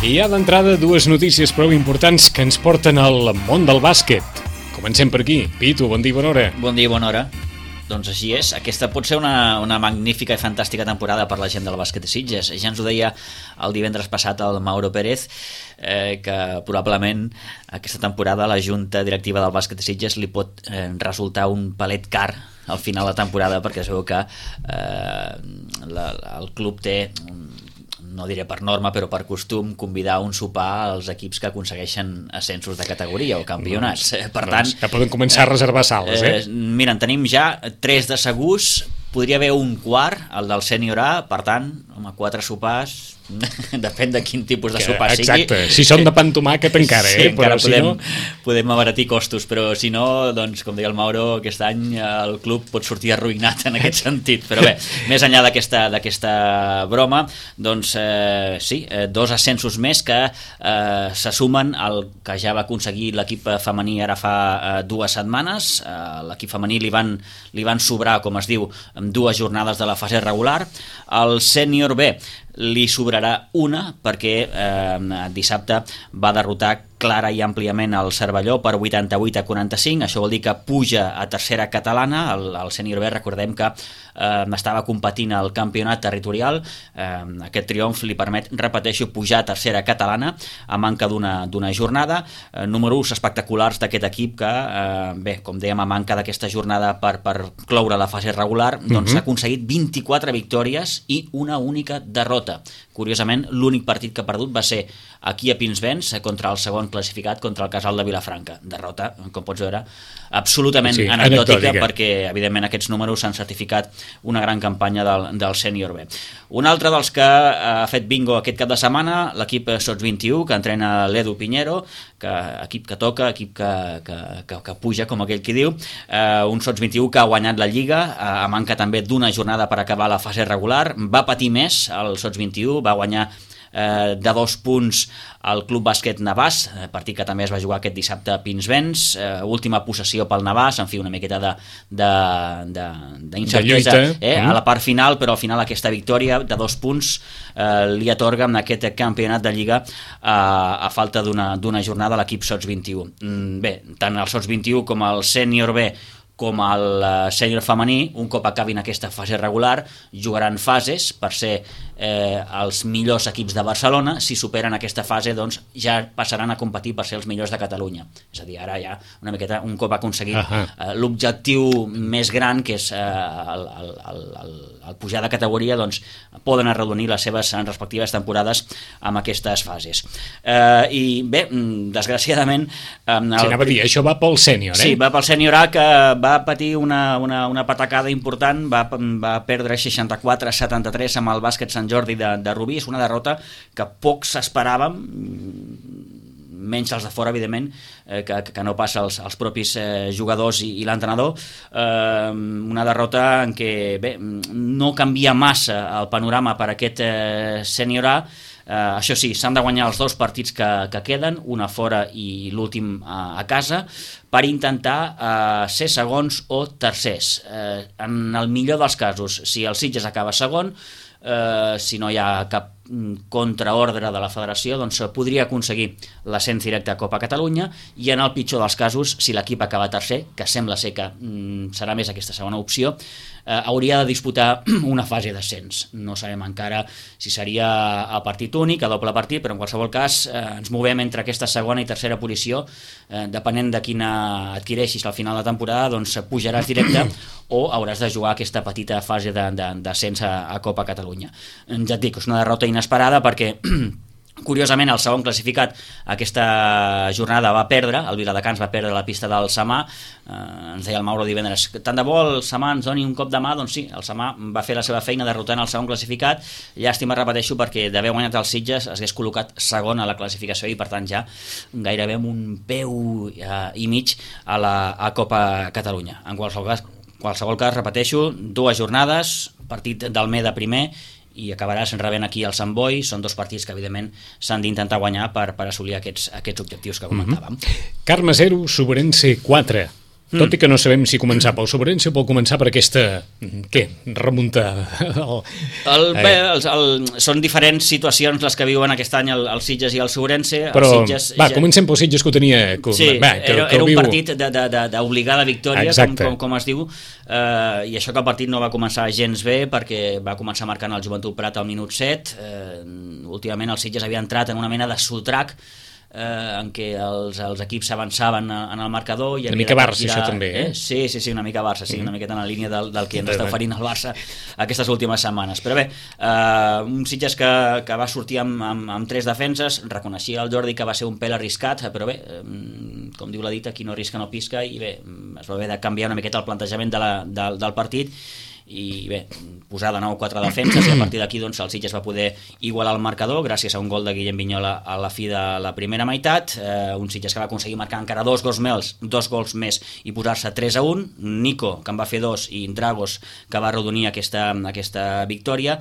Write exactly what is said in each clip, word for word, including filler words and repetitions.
I hi ha d'entrada dues notícies prou importants que ens porten al món del bàsquet. Comencem per aquí. Pitu, bon dia i bona hora. Bon dia i bona hora. Doncs així és, aquesta pot ser una, una magnífica i fantàstica temporada per la gent del bàsquet de Sitges. Ja ens ho deia el divendres passat el Mauro Pérez, eh, que probablement aquesta temporada la junta directiva del bàsquet de Sitges li pot eh, resultar un palet car al final de la temporada, perquè es veu que eh, la, el club té un, no diré per norma, però per costum, convidar un sopar als equips que aconsegueixen ascensos de categoria o campionats. Doncs, per tant, doncs, que poden començar a reservar sales, eh? eh? Mira, en tenim ja tres de segurs, podria haver un quart, el del sènior A, per tant, home, quatre sopars, depèn de quin tipus de sopar sigui. Exacte, si són de pa amb tomàquet encara, sí, eh? encara però podem, si no... podem abaratir costos, però si no, doncs, com deia el Mauro, aquest any el club pot sortir arruïnat en aquest sentit. Però bé, més enllà d'aquesta d'aquesta broma, doncs eh, sí, eh, dos ascensos més que eh, se sumen al que ja va aconseguir l'equip femení ara fa eh, dues setmanes. Eh, l'equip femení li van, li van sobrar, com es diu, amb dues jornades de la fase regular. El sènior B li sobrarà una perquè eh, dissabte va derrotar clara i àmpliament el Cervelló per vuitanta-vuit a quaranta-cinc. Això vol dir que puja a tercera catalana. El, el sènior B, recordem que eh, estava competint al campionat territorial. Eh, aquest triomf li permet, repeteixo, pujar a tercera catalana a manca d'una d'una jornada. Eh, números espectaculars d'aquest equip que, eh, bé, com dèiem, a manca d'aquesta jornada per, per cloure la fase regular, doncs uh-huh. s'ha aconseguit vint-i-quatre victòries i una única derrota. Curiosament, l'únic partit que ha perdut va ser aquí a Pinsbens contra el segon classificat, contra el Casal de Vilafranca. Derrota, com pots veure, absolutament sí, anecdòtica, anecdòtica, perquè evidentment aquests números s'han certificat una gran campanya del, del sènior B. Un altre dels que ha fet bingo aquest cap de setmana, l'equip Sots vint i u, que entrena l'Edu Piñero, que, equip que toca, equip que, que, que, que puja, com aquell qui diu, eh, un Sots vint i u que ha guanyat la Lliga, eh, a manca també d'una jornada per acabar la fase regular. Va patir més el Sots vint i u, va guanyar eh, de dos punts al Club Bàsquet Navàs, partit que també es va jugar aquest dissabte a Pinsbens, eh, última possessió pel Navàs, en fi, una miqueta de, de, de, d'incertesa eh, mm. a la part final, però al final aquesta victòria de dos punts eh, li atorga en aquest campionat de Lliga eh, a falta d'una, d'una jornada a l'equip Sots vint i u. Mm, bé, tant el Sots vint i u com el sènior B com el sènior femení, un cop acabin aquesta fase regular, jugaran fases per ser eh, els millors equips de Barcelona. Si superen aquesta fase, doncs ja passaran a competir per ser els millors de Catalunya. És a dir, ara ja una miqueta, un cop aconseguit uh-huh. eh, l'objectiu més gran, que és eh, el, el, el, el, el pujar de categoria, doncs poden arrodonir les seves respectives temporades amb aquestes fases. Eh, I bé, desgraciadament... Eh, el... Sí, anava a dir, això va pel sènior, eh? Sí, va pel sènior A, que va va patir una, una, una patacada important, va, va perdre seixanta-quatre a setanta-tres amb el bàsquet Sant Jordi de, de Rubí. És una derrota que pocs esperàvem, menys els de fora, evidentment, eh, que, que no passa als, als propis eh, jugadors i, i l'entrenador. Eh, una derrota en què bé, no canvia massa el panorama per aquest eh, sènior A. Uh, això sí, s'han de guanyar els dos partits que, que queden, una fora i l'últim uh, a casa, per intentar uh, ser segons o tercers. Uh, en el millor dels casos, si el Sitges acaba segon, uh, si no hi ha cap contraordre de la federació, doncs podria aconseguir l'ascens directe a Copa Catalunya, i en el pitjor dels casos, si l'equip acaba tercer, que sembla ser que mm, serà més aquesta segona opció, eh, hauria de disputar una fase d'ascens. No sabem encara si seria a partit únic, a doble partit, però en qualsevol cas eh, ens movem entre aquesta segona i tercera posició, eh, depenent de quina adquireixis al final de temporada, doncs pujaràs directe o hauràs de jugar aquesta petita fase de, de, d'ascens a, a Copa Catalunya. Ja et dic, és una derrota inesperada perquè curiosament el segon classificat aquesta jornada va perdre, el Viladecans va perdre la pista del Samà. Eh, ens deia el Mauro divendres, tant de bo el Samà ens doni un cop de mà. Doncs sí, el Samà va fer la seva feina derrotant el segon classificat. Llàstima, repeteixo, perquè d'haver guanyat el Sitges es hagués col·locat segon a la classificació i per tant ja gairebé amb un peu eh, i mig a la a Copa Catalunya. En qualsevol cas, qualsevol cas, repeteixo, dues jornades, partit d'Almeda primer i acabaràs rebent aquí el Sant Boi. Són dos partits que evidentment s'han d'intentar guanyar per, per assolir aquests, aquests objectius que comentàvem. Mm-hmm. Carme zero, Sobrense quatre. tot mm. i que no sabem si començar pel Sobrense o pel començar per aquesta, què, remuntada. El, el, bé, el, el, són diferents situacions les que viuen aquest any el, el Sitges i el Sobrense. Però, el Sitges, va, ja... comencem pel Sitges que ho tenia... Que, sí, va, que, era, que era un viu... partit d'obligada victòria, com, com, com es diu, eh, i això que el partit no va començar gens bé, perquè va començar marcant el Joventut Prat al minut set. Eh, últimament el Sitges havia entrat en una mena de sotrac, Eh, en què els, els equips s'avançaven en el marcador i una mica Barça girar... això també, eh? eh? Sí, sí, sí, una mica Barça, sí, mm. una miqueta en la línia del, del que ens està oferint el Barça aquestes últimes setmanes, però bé, eh, un Sitges que, que va sortir amb, amb, amb tres defenses, reconeixia el Jordi que va ser un pèl arriscat, però bé, eh, com diu la dita, qui no arrisca no pisca, i bé, es va haver de canviar una miqueta el plantejament de la, del, del partit, i bé, posar de nou quatre defenses i a partir d'aquí doncs, el Sitges va poder igualar el marcador gràcies a un gol de Guillem Vignola a la fi de la primera meitat, eh, un Sitges que va aconseguir marcar encara dos gols més, dos gols més i posar-se tres a un, Nico que en va fer dos i Dragos que va arrodonir aquesta, aquesta victòria.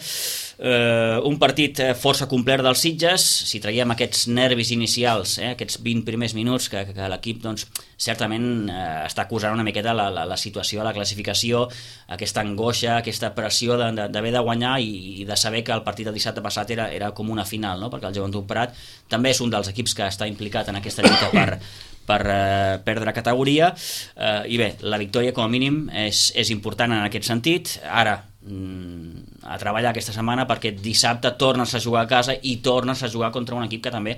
Eh, un partit força complet dels Sitges, si traiem aquests nervis inicials, eh, aquests vint primers minuts que, que, que l'equip doncs, certament eh, està acusant una miqueta la, la, la situació, la classificació, aquesta angoixa, aquesta pressió d'haver de, de guanyar i, i de saber que el partit del dissabte passat era, era com una final, no? Perquè el Joventut Prat també és un dels equips que està implicat en aquesta lluita per, per eh, perdre categoria, eh, i bé, la victòria com a mínim és, és important en aquest sentit. Ara a treballar aquesta setmana perquè dissabte tornes a jugar a casa i tornes a jugar contra un equip que també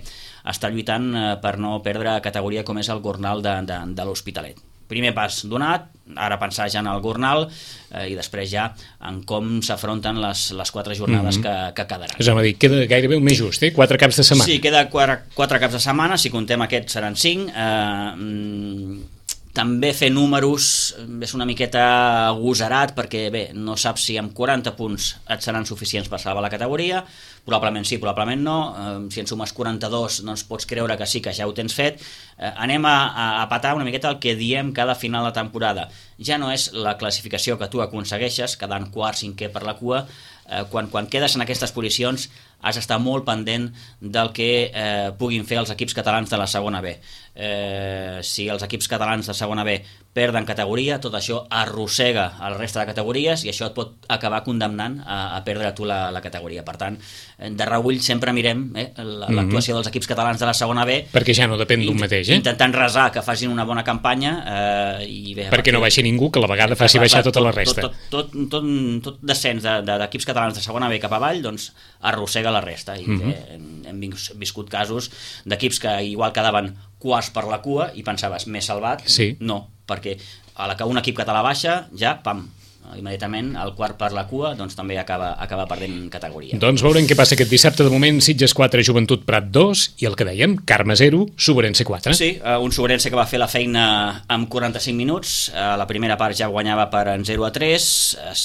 està lluitant per no perdre categoria com és el Gornal de, de, de l'Hospitalet. Primer pas donat, ara pensar ja en el Gornal eh, i després ja en com s'afronten les, les quatre jornades mm-hmm. que, que quedaran. És a dir, queda gairebé un més just, eh? Quatre caps de setmana. Sí, queda quatre, quatre caps de setmana, si contem aquests seran cinc. Eh, també fer números és una miqueta agosarat perquè bé, no saps si amb quaranta punts et seran suficients per salvar la categoria, probablement sí, probablement no, eh, si en sumes quaranta-dos doncs pots creure que sí, que ja ho tens fet. Eh, anem a, a patar una miqueta el que diem cada final de temporada, ja no és la classificació que tu aconsegueixes quedant quart, cinquè per la cua, eh, quan, quan quedes en aquestes posicions has d'estar molt pendent del que eh, puguin fer els equips catalans de la segona B. Eh, si els equips catalans de segona B perden categoria, tot això arrossega el reste de categories i això et pot acabar condemnant a, a perdre tu la, la categoria. Per tant, de reüll sempre mirem eh, l'actuació dels equips catalans de la segona B, perquè ja no depèn d'un mateix, eh? intentant resar que facin una bona campanya, eh, i bé, perquè no baixi ningú, que a la vegada faci baixar tota la resta. Tot, tot, tot, tot, tot descens d'equips catalans de segona B cap avall doncs arrossega la resta i mm-hmm. bé, hem, hem viscut casos d'equips que igual quedaven quarts per la cua i pensaves, m'he salvat? Sí. No, perquè a la que un equip català baixa, ja, pam, immediatament el quart per la cua doncs també acaba, acaba perdent categoria. Doncs veurem què passa aquest dissabte. De moment Sitges quatre, Joventut Prat dos i el que dèiem, Carme zero, Sobrense quatre. Sí, un Sobrense que va fer la feina amb quaranta-cinc minuts, a la primera part ja guanyava per zero a tres, es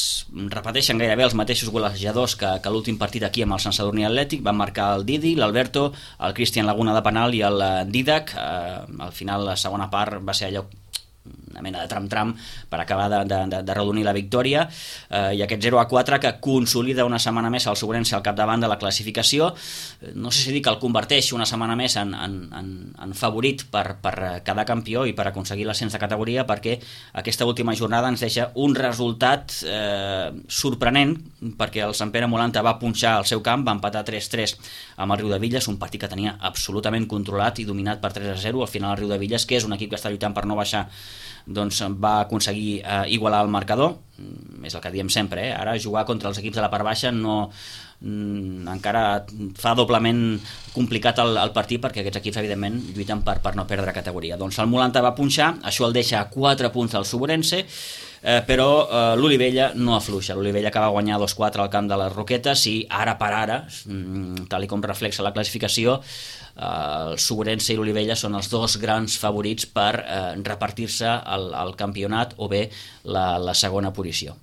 repeteixen gairebé els mateixos golejadors que, que l'últim partit aquí amb el Sant Sadurní Atlètic, van marcar el Didi, l'Alberto, el Cristian Laguna de penal i el Didac. Al final la segona part va ser allò una mena de tram-tram per acabar de, de, de, de redonir la victòria, eh, i aquest zero a quatre que consolida una setmana més el Sobrense al capdavant de la classificació. No sé si dir que el converteix una setmana més en, en, en, en favorit per, per quedar campió i per aconseguir l'ascens de categoria, perquè aquesta última jornada ens deixa un resultat eh, sorprenent, perquè el Sant Pere Molanta va punxar al seu camp, va empatar tres tres amb el Riudevilles, un partit que tenia absolutament controlat i dominat per tres a zero. Al final el Riudevilles, que és un equip que està lluitant per no baixar, doncs va aconseguir eh, igualar el marcador. És el que diem sempre, eh? Ara jugar contra els equips de la part baixa no, mm, encara fa doblement complicat el, el partit, perquè aquests equips evidentment lluiten per, per no perdre categoria. Doncs el Molanta va punxar, això el deixa a quatre punts al Sobrense, eh, però eh, l'Olivella no afluixa. L'Olivella que va guanyar dos quatre al camp de les Roquetes i ara per ara, mm, tal i com reflexa la classificació, el Sobrense i l'Olivella són els dos grans favorits per eh, repartir-se el, el campionat o bé la, la segona posició.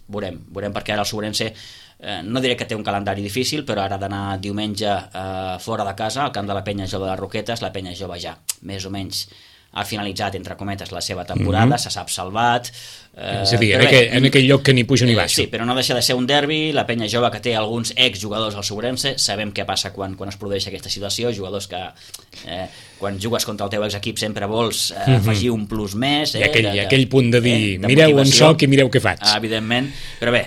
Veurem, veurem perquè ara el Sobrense eh, no diré que té un calendari difícil, però ara d'anar diumenge eh, fora de casa al camp de la Penya Jove de les Roquetes. La Penya Jove ja més o menys ha finalitzat, entre cometes, la seva temporada, mm-hmm. se sap salvat. Eh, és a dir, en, bé, aquell, en aquell lloc que ni puja ni baixa. Sí, però no deixa de ser un derbi. La Penya Jove, que té alguns exjugadors al Sobrense, sabem què passa quan, quan es produeix aquesta situació, jugadors que eh, quan jugues contra el teu exequip sempre vols eh, afegir un plus més. Eh, I aquell, de, de, aquell punt de dir, eh, de mireu on motivació. soc i mireu què faig. Ah, evidentment, però bé,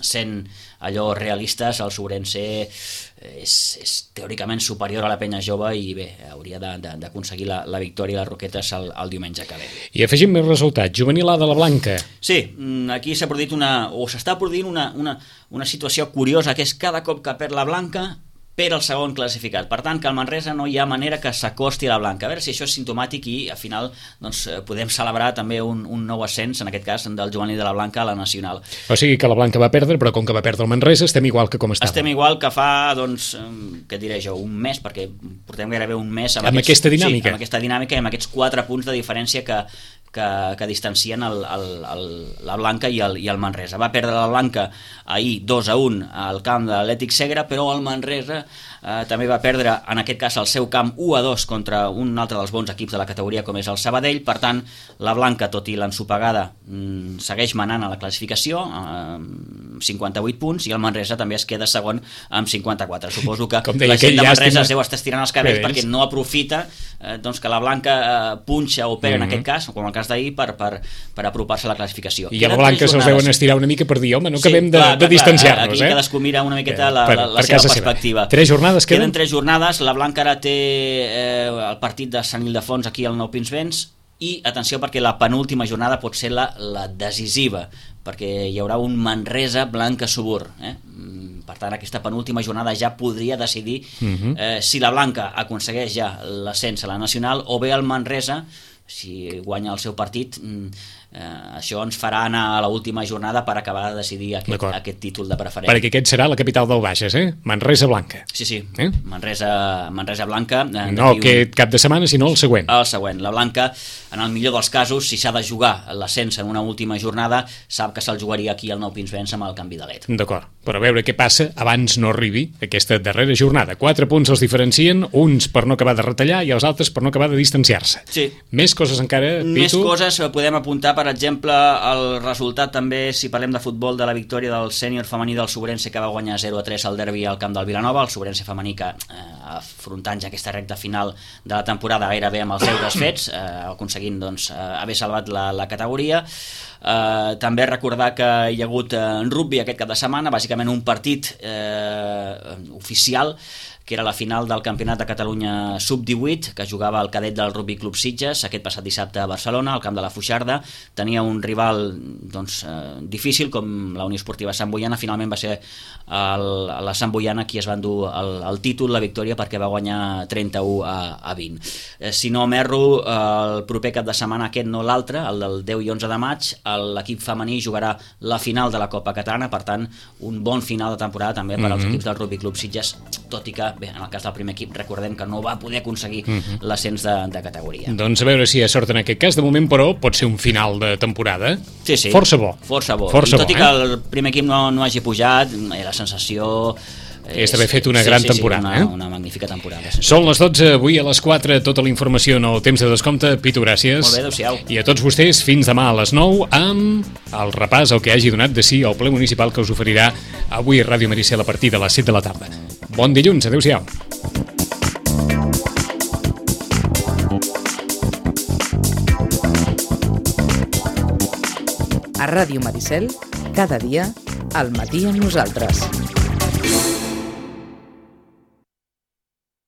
sent allò realistes, el Sobrense és, és teòricament superior a la penya jove i bé, hauria d'aconseguir la, la victòria a les Roquetes el, el diumenge que ve. I afegim més resultats. Juvenil A de la Blanca. Sí, aquí s'ha produït una, o s'està produint una, una, una situació curiosa, que és cada cop que perd la Blanca per el segon classificat. Per tant, que el Manresa no hi ha manera que s'acosti a la Blanca. A veure si això és simptomàtic i al final doncs, podem celebrar també un, un nou ascens, en aquest cas del juvenil de la Blanca a la nacional. O sigui que la Blanca va perdre, però com que va perdre el Manresa estem igual que com estàvem. Estem igual que fa, doncs, què diré jo, un mes, perquè portem gairebé un mes amb, amb aquests, aquesta dinàmica. Sí, amb aquesta dinàmica i amb aquests quatre punts de diferència que, que, que distancien el, el, el, la Blanca i el, i el Manresa. Va perdre la Blanca ahir dos a un al camp de l'Atlètic Segre, però el Manresa eh, també va perdre, en aquest cas, el seu camp u a dos contra un altre dels bons equips de la categoria, com és el Sabadell. Per tant, la Blanca, tot i l'ensopegada, mm, segueix manant a la classificació amb eh, cinquanta-vuit punts, i el Manresa també es queda segon amb cinquanta-quatre. Suposo que deia, la gent de Manresa llàstima... es deu estar estirant els cabells perquè no aprofita eh, doncs que la Blanca eh, punxa o pega, mm -hmm. en aquest cas, com el cas d'ahir, per, per, per apropar-se a la classificació. I a la Blanca se'ls deuen estirar una mica per dir, home, no acabem sí, de, clar, de distanciar-nos. Aquí eh? cadascú mira una miqueta la, per, la, la per seva seva perspectiva. Seva. Tres jornades queden? Queden tres jornades. La Blanca ara té eh, el partit de Sant Ildefons aquí al Nou Pinsbens, i atenció perquè la penúltima jornada pot ser la, la decisiva, perquè hi haurà un Manresa Blanca Subur, eh? Per tant, aquesta penúltima jornada ja podria decidir uh-huh. eh, si la Blanca aconsegueix ja l'ascens a la nacional, o bé el Manresa, si guanya el seu partit, eh, això ens farà anar a l'última jornada per acabar de decidir aquest, aquest títol de preferent. Perquè aquest serà la capital del Bages, eh? Manresa Blanca. Sí, sí, eh? Manresa, Manresa Blanca. Eh, no aquest un... cap de setmana, sinó el següent. El següent. La Blanca, en el millor dels casos, si s'ha de jugar l'ascens en una última jornada, sap que se'l jugaria aquí al Nou Pinsbens amb el canvi de led. D'acord, però a veure què passa abans no arribi aquesta darrera jornada. Quatre punts els diferencien, uns per no acabar de retallar i els altres per no acabar de distanciar-se. Sí. Més coses encara, Pitu? Més coses, podem apuntar, per exemple, el resultat també, si parlem de futbol, de la victòria del sènior femení del Sobrense, que va guanyar zero a tres al derbi al camp del Vilanova, el Sobrense femení que, eh, afrontant ja aquesta recta final de la temporada gairebé amb els deures fets, eh, aconseguint doncs, eh, haver salvat la, la categoria. Eh, també recordar que hi ha hagut en rugby aquest cap de setmana, bàsicament un partit eh, oficial, que era la final del Campionat de Catalunya sub divuit, que jugava el cadet del Rugby Club Sitges aquest passat dissabte a Barcelona, al camp de la Fuixarda. Tenia un rival doncs, eh, difícil, com la Unió Esportiva Sant Boiana. Finalment va ser el, la Sant Boiana qui es va endur el, el títol, la victòria, perquè va guanyar trenta-u a vint. Eh, si no m'erro, el proper cap de setmana, aquest no l'altre, el del deu i onze de maig, l'equip femení jugarà la final de la Copa Catalana. Per tant, un bon final de temporada també per als mm-hmm. equips del Rugby Club Sitges, tot i que bé, en el cas del primer equip, recordem que no va poder aconseguir uh-huh. l'ascens de, de categoria. Doncs a veure si hi ha sort en aquest cas. De moment, però, pot ser un final de temporada sí, sí. força bo. Força bo. Força I tot bo, i que eh? el primer equip no, no hagi pujat, la sensació... És d'haver fet una sí, gran sí, temporada. Sí, una, eh? una magnífica temporada. Són les dotze, avui a les quatre, tota la informació en el temps de descompte. Pitu, gràcies. Molt bé, adéu-siau. I a tots vostès, fins demà a les nou, amb el repàs, el que hagi donat de si el ple municipal que us oferirà avui Ràdio Maricel a partir de les set de la tarda. Bon dilluns, adéu-siau. A Ràdio Maricel, cada dia, al matí amb nosaltres.